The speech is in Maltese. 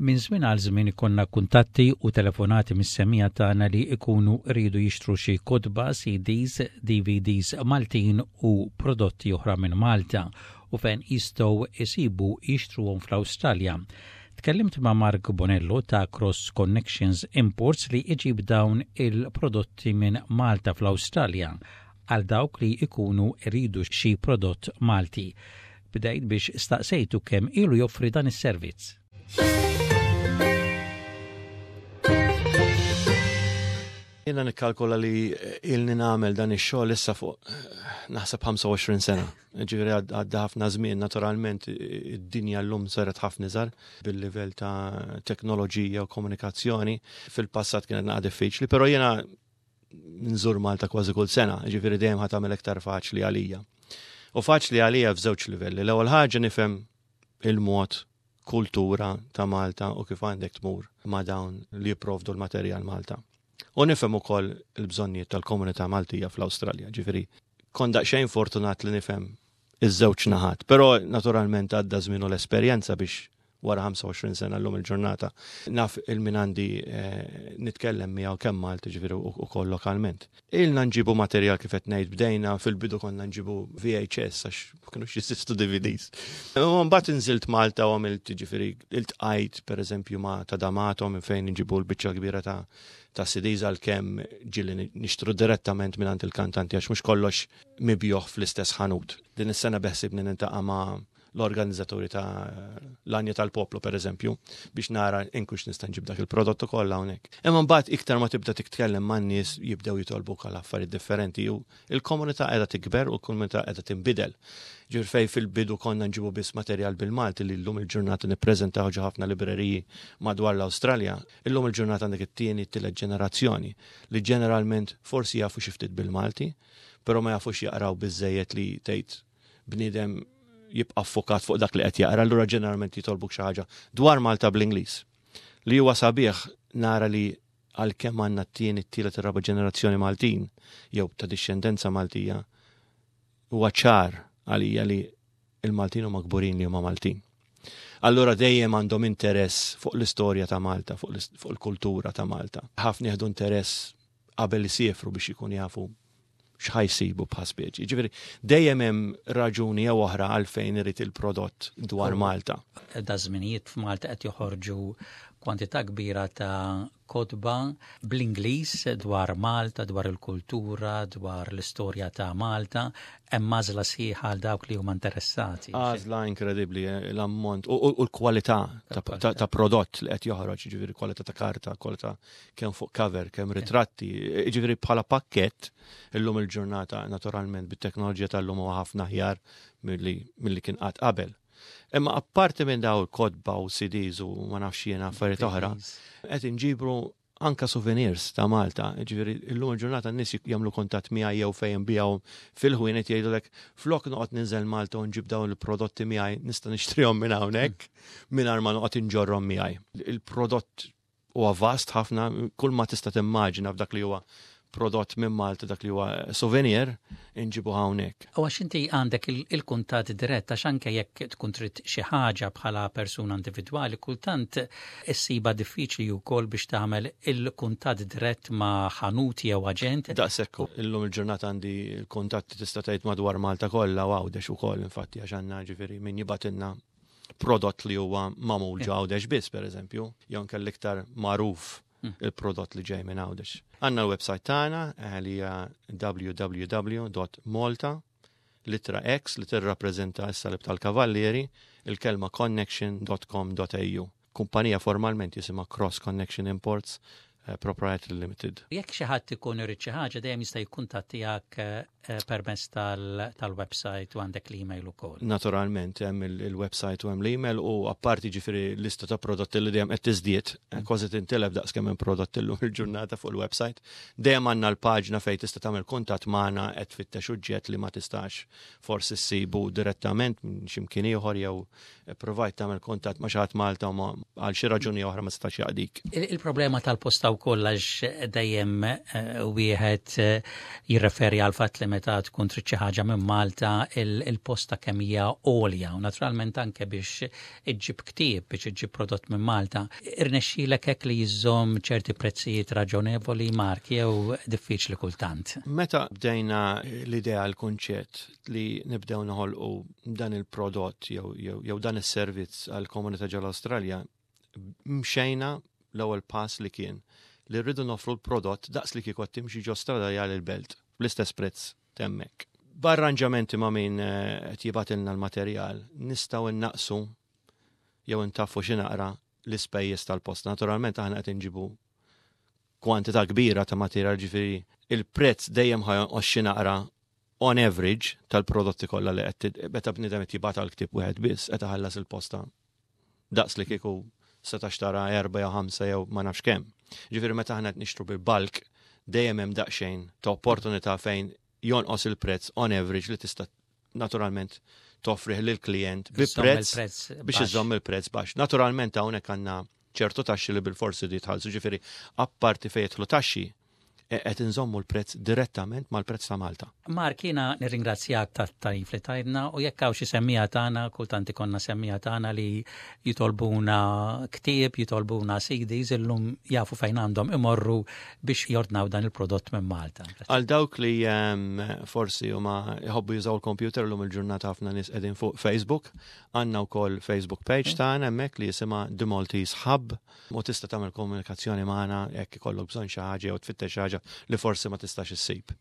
Minn żmien għal żmien ikollna kuntatti u telefonati mis-semmiegħa tagħna li jkunu jridu jixtru xi kotba, CDs, DVDs Maltin u prodotti oħra minn Malta u fejn jistgħu jsibu jixtruhom fl-Awstralja. Tkellimt ma' Mark Bonello ta' Cross Connections Imports li jġib dawn il-prodotti minn Malta fl-Awstralja għal dawk li jkunu jridu xi prodott Malti. Bdejt biex staqsejtu kemm ilu joffri dan is-servizz. Jiena nikkalkola li ilni nagħmel dan ix-xogħol issa fuq naħseb 25 sena. Ġifieri għadda ħafna żmien, naturalment id-dinja llum saret ħafna iżgħar bil-livell ta' teknoloġija u komunikazzjoni. Fil-passat kienet naqa' diffiċli, però jiena nżur Malta kważi kull sena, ġifieri dejjem ħa tagħmel iktar faċli għalija. U faċli għalija f'żewġ livelli. L-ewwel ħaġa nifhem il-mod kultura ta' Malta u kif għandek tmur ma' dawn li jipprovdu l-materjal Malta. U nifhem ukoll il-bżonnijiet tal-komunità Maltija fl-Awstralja, ġifieri kont daqsxejn fortunat li nifhem iż-żewġ naħat, però naturalment għadda żmien u l-esperjenza biex wara 25 sena llum il-ġurnata naf il-min għandi eh, nitkellem miegħu kemm Malti ġifieri ukoll lokalment. Ilna nġibu materjal kif qed ngħid bdejna fil-bidu konna nġibu VHS għax ma kinux jeżistu DVDs. U mbagħad inżilt Malta u għamilt ġifieri iltqajt pereżempju ma' ta' Damato minn fejn nġibu l-biċċa kbira ta' ta' CDs għalkemm ġieli nixtru direttament mingħand il-kantanti għax mhux kollox mibjuħ fl-istess ħanut. Din is-sena beħsibni nintaqa' ma' l-organizzaturi ta' l-Anja tal-Poplu per eżempju, biex nara inkux nista' nġib dak il-prodott ukoll hawnhekk. Imma mbagħad iktar ma tibda titkellem man-nies jibdew jitolbuk għal affarijiet differenti u il-komunità qiegħda tikber u l-komunità qiegħda tinbidel. Ġifier fej fil-bidu konna nġibu biss materjal bil-Malti li llum il-ġurnata nippreżentaw ġo ħafna libreriji madwar l-Awstralja, illum il-ġurnata għandek it-tieni, t-tielet ġenerazzjoni li ġeneralment forsi jafu xi ftit bil-Malti, però ma jafux jaqraw biżejjed li tgħid bniedem jibqa' ffokat fuq dak li qed jaqra, allura ġeneralment jitolbuk xi ħaġa dwar Malta bl-Ingliż. Li huwa sabiħ nara li għalkemm għandna t-tieni, t-tielet, ir-raba' ġenerazzjoni Maltin jew ta' dixxendenza Maltija, huwa ċar għalija li il-Maltin huma kburin li huma Maltin. Allura dejjem għandhom interess fuq l-istorja ta' Malta, fuq il-kultura ta' Malta. Ħafna jieħdu interess qabel isiefru biex ikun jafu x'ħa jsibu bħal speċi. Ġifieri dejjem hemm raġuni jew oħra għalfejn irid il-prodott dwar Malta. Da żminijiet f'Malta qed joħorġu kwantità kbira ta' kotba bl-Ingliż dwar Malta, dwar il-kultura, dwar l-istorja ta' Malta, hemm għażla sħiħa għal dawk li huma interessati. Għażla inkredibbli eh, l-ammont u l-kwalità ta' prodott li qed joħroġ, ġifieri kwalità ta' karta, kwalità kemm fuq cover, kemm ritratti, ġifieri bħala pakkett illum il-ġurnata naturalment bit-teknoloġija tal-lum huwa ħafna aħjar milli kien qatt qabel. Imma apparti minn daw il-kotba u CDs u ma nafx jiena affarijiet oħra, qed inġibru anka souvenirs ta' Malta, ġifieri illum il-ġurnata n-nies jagħmlu kuntatt miegħi jew fejn biegħu fil-ħwienet jgħidulek flok noqgħod ninżel Malta u nġib dawn il-prodotti miegħi nista' nixtrihom minn hawnhekk mingħajr ma noqgħod inġorrhom miegħi. Il-prodott huwa vast ħafna, kull ma tista' timmaġina f'dak li huwa prodott minn Malta dak li huwa souvenir inġibu hawnhekk. U għax inti għandek il-kuntatt dirett għax anke jekk tkun trid xi ħaġa bħala persuna individwali kultant issibha diffiċli wkoll biex tagħmel il-kuntatt dirett ma' ħanut jew aġent. Daqshekk illum il-ġurnata għandi l-kuntatti tista' tgħid madwar Malta kollha u Għawdex ukoll infatti għax għandna ġifieri min jibgħatilna prodott li huwa magħmul ġo Għawdex biss, per eżempju, jew anke l-iktar magħruf hmm. il-prodott li ġej minn Għawdex. Għandna l-website tagħna eh, li hija www.malta litra X li tirrappreżenta s-salib tal-Kavallieri, il-kelma connection.com.au. Kumpanija formalment jisimha Cross Connection Imports eh, Proprietary Limited. Jekk xi ħadd ikun irid xi ħaġa dejjem jista' jikkuntattijak eh, permezz tal-website u għandek l-email ukoll. Naturalment hemm il-website u hemm l-email u apparti ġifieri lista ta' prodotti li dejjem qed tiżdied, eh, kważi tintilef daqs kemm hemm prodotti llum il-ġurnata fuq il-website. Dejjem għandna l-paġna fejn tista' tagħmel kuntatt magħna qed tfittex uġġett li ma tistax forsi ssibu direttament minn x'imkien ieħor jew Provajt tagħmel kuntatt ma' xi ħadd Malta u għal xi raġuni oħra ma setax jaqdik. Il-problema tal-posta Il-posta wkoll għax dejjem eh, wieħed eh, jirreferi għal fatt li meta tkun trid xi ħaġa minn Malta il-posta kemm hija għolja u naturalment anke biex iġġib ktieb biex iġġib prodott minn Malta. Irnexxielek hekk li jiżżomm ċerti prezzijiet raġonevoli Mark jew diffiċli kultant? Meta bdejna l-idea l-kunċett li nibdew noħolqu dan il-prodott jew, jew, jew dan is-servizz għall-komunità ġol-Awstralja, mxejna l-ewwel pass li kien li rridu noffru l-prodott daqs li kieku timxi ġo strada jgħal il-belt bl-istess prezz t'hemmhekk. B'arranġamenti ma' min eh, qed jibgħatilna l-materjal, nistgħu innaqsu jew intaffu xi naqra l-ispejjeż tal-post. Naturalment aħna qed inġibu kwantità kbira ta' materjal ġifieri il-prezz dejjem ħa jonqos xi naqra on average tal-prodotti kollha li qed meta bniedem qed jibgħat għal ktieb wieħed biss qed iħallas il-posta daqs li kieku seta' xtara erba' jew ħamsa jew ma nafx kemm. Ġifieri meta aħna qed nixtru bil-bulk dejjem hemm daqsxejn ta' opportunità fejn jonqos il-prezz on average li tista' naturalment toffrih lill-klijent bi prezz biex iżomm il-prezz baxx. Naturalment hawnhekk għandna ċertu taxxi li bil-forsi di jitħallsu, ġifieri apparti fejn jidħlu taxxi, e, qed inżommu l-prezz direttament mal-prezz ta' Malta. Mark, jiena nirringrazzjak tat-tarif li tajtna u jekk hawn xi semmiegħa tagħna, kultant ikollna semmiegħa tagħna li jitolbuna ktieb, jitolbuna CDs, illum jafu fejn għandhom imorru biex jordnaw dan il-prodott minn Malta. Għal dawk li ehm, forsi huma jħobbu jużaw il-computer llum il-ġurnata ħafna nies qegħdin fuq Facebook, Għandna wkoll Facebook page tagħna hemmhekk li jisimha The Maltese Hub u tista' tagħmel komunikazzjoni magħna jekk ikollok bżonn xi ħaġa jew tfittex xi ħaġa li forsi ma tistax issib.